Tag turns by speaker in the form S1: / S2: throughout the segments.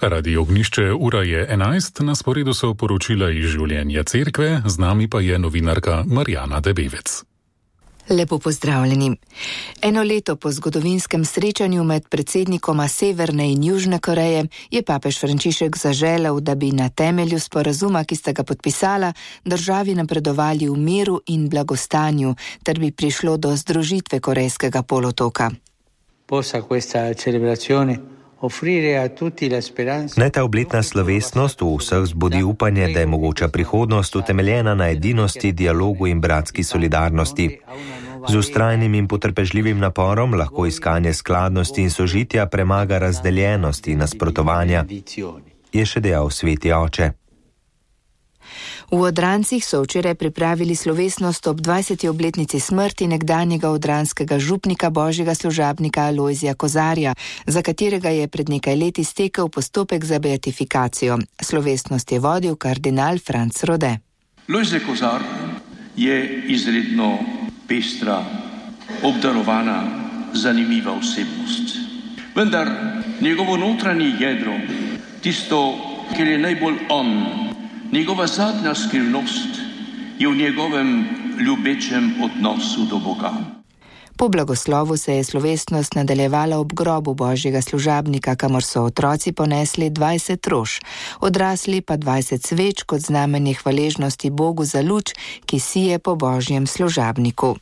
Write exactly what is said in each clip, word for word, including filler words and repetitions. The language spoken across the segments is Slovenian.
S1: Radio Ognišče, ura je enajst, na sporedu so poročila iz življenja cerkve, z nami pa je novinarka Marjana Debevec.
S2: Lepo pozdravljeni. Eno leto po zgodovinskem srečanju med predsednikoma Severne in Južne Koreje je papež Frančišek zaželel, da bi na temelju sporazuma, ki sta ga podpisala, državi napredovali v miru in blagostanju, ter bi prišlo do združitve Korejskega polotoka.
S3: Possa questa celebrazione
S4: Naj ta obletna slovesnost v vseh zbudi upanje, da je mogoča prihodnost utemeljena na edinosti, dialogu in bratski solidarnosti. Z vztrajnim in potrpežljivim naporom lahko iskanje skladnosti in sožitja premaga razdeljenost in nasprotovanja, je še dejal sveti oče.
S2: V Odrancih so včeraj pripravili slovesnost ob dvajseti obletnici smrti nekdanjega odranskega župnika božjega služabnika Alojzija Kozarja, za katerega je pred nekaj leti stekel postopek za beatifikacijo. Slovesnost je vodil kardinal Franc Rode.
S5: Lojze Kozar je izredno pestra, obdarovana, zanimiva osebnost. Vendar njegovo notranje jedro, tisto, kjer je najbolj on, njegova zadnja skrivnost je v njegovem ljubečem odnosu do Boga.
S2: Po blagoslovu se je slovesnost nadaljevala ob grobu božjega služabnika, kamor so otroci ponesli dvajset rož, odrasli pa dvajset sveč kot znamenje hvaležnosti Bogu za luč, ki sije po božjem služabniku.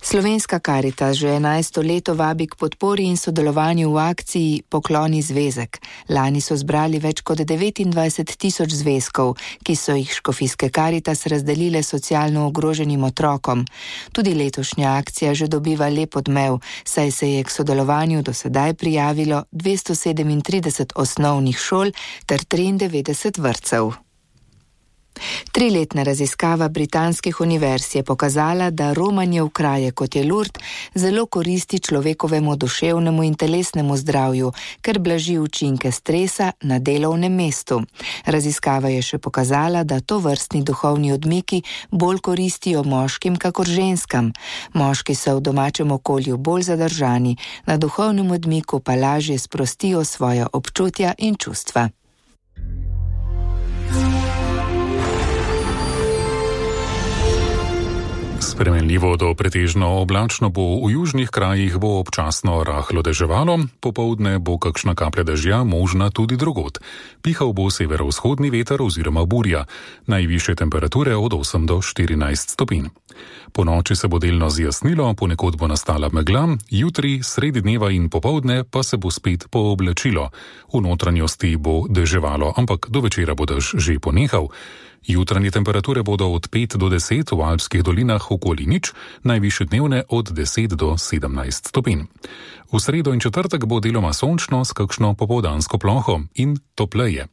S2: Slovenska Karitas že enajsto leto vabi k podpori in sodelovanju v akciji Pokloni zvezek. Lani so zbrali več kot devetindvajset tisoč zvezkov, ki so jih škofijske Karitas razdelile socialno ogroženim otrokom. Tudi letošnja akcija že dobiva lep odmev, saj se je k sodelovanju do sedaj prijavilo dvesto sedemintrideset osnovnih šol ter triindevetdeset vrtcev. Triletna raziskava britanskih univerz je pokazala, da romanje v kraje kot je Lourdes zelo koristi človekovemu duševnemu in telesnemu zdravju, ker blaži učinke stresa na delovnem mestu. Raziskava je še pokazala, da tovrstni duhovni odmiki bolj koristijo moškim kakor ženskam. Moški so v domačem okolju bolj zadržani, na duhovnem odmiku pa lažje sprostijo svoja občutja in čustva.
S1: Spremenljivo do pretežno oblačno bo, v južnih krajih bo občasno rahlo deževalo, popoldne bo kakšna kaplja dežja možna tudi drugod. Pihal bo severovzhodni veter oziroma burja, najvišje temperature od osem do štirinajst stopinj. Po noči se bo delno zjasnilo, ponekod bo nastala megla, jutri, sredi dneva in popoldne pa se bo spet pooblačilo. V notranjosti bo deževalo, ampak do večera bo dež že ponehal. Jutranje temperature bodo od pet do deset, v alpskih dolinah okoli nič, najvišje dnevne od deset do sedemnajst stopinj. V sredo in četrtek bo deloma sončno s kakšno popoldansko ploho in topleje.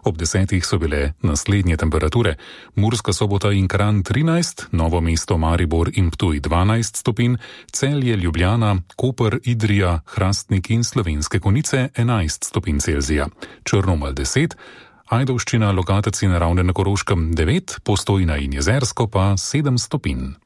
S1: Ob desetih so bile naslednje temperature: Murska Sobota in Kranj trinajst, Novo mesto, Maribor in Ptuj dvanajst stopinj, Celje, Ljubljana, Koper, Idrija, Hrastnik in Slovenske Konjice enajst stopinj Celzija, Črnomelj deset, Ajdovščina, Logatec in Ravne na Koroškem devet, Postojna in Jezersko pa sedem stopinj.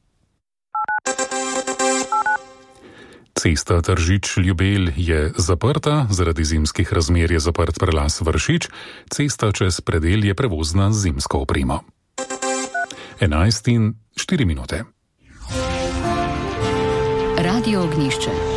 S1: Cesta Tržič-Ljubelj je zaprta, zaradi zimskih razmer je zaprt prelaz Vršič, cesta čez predel je prevozna z zimsko opremo. enajst in štiri minute.
S6: Radio Ognišče.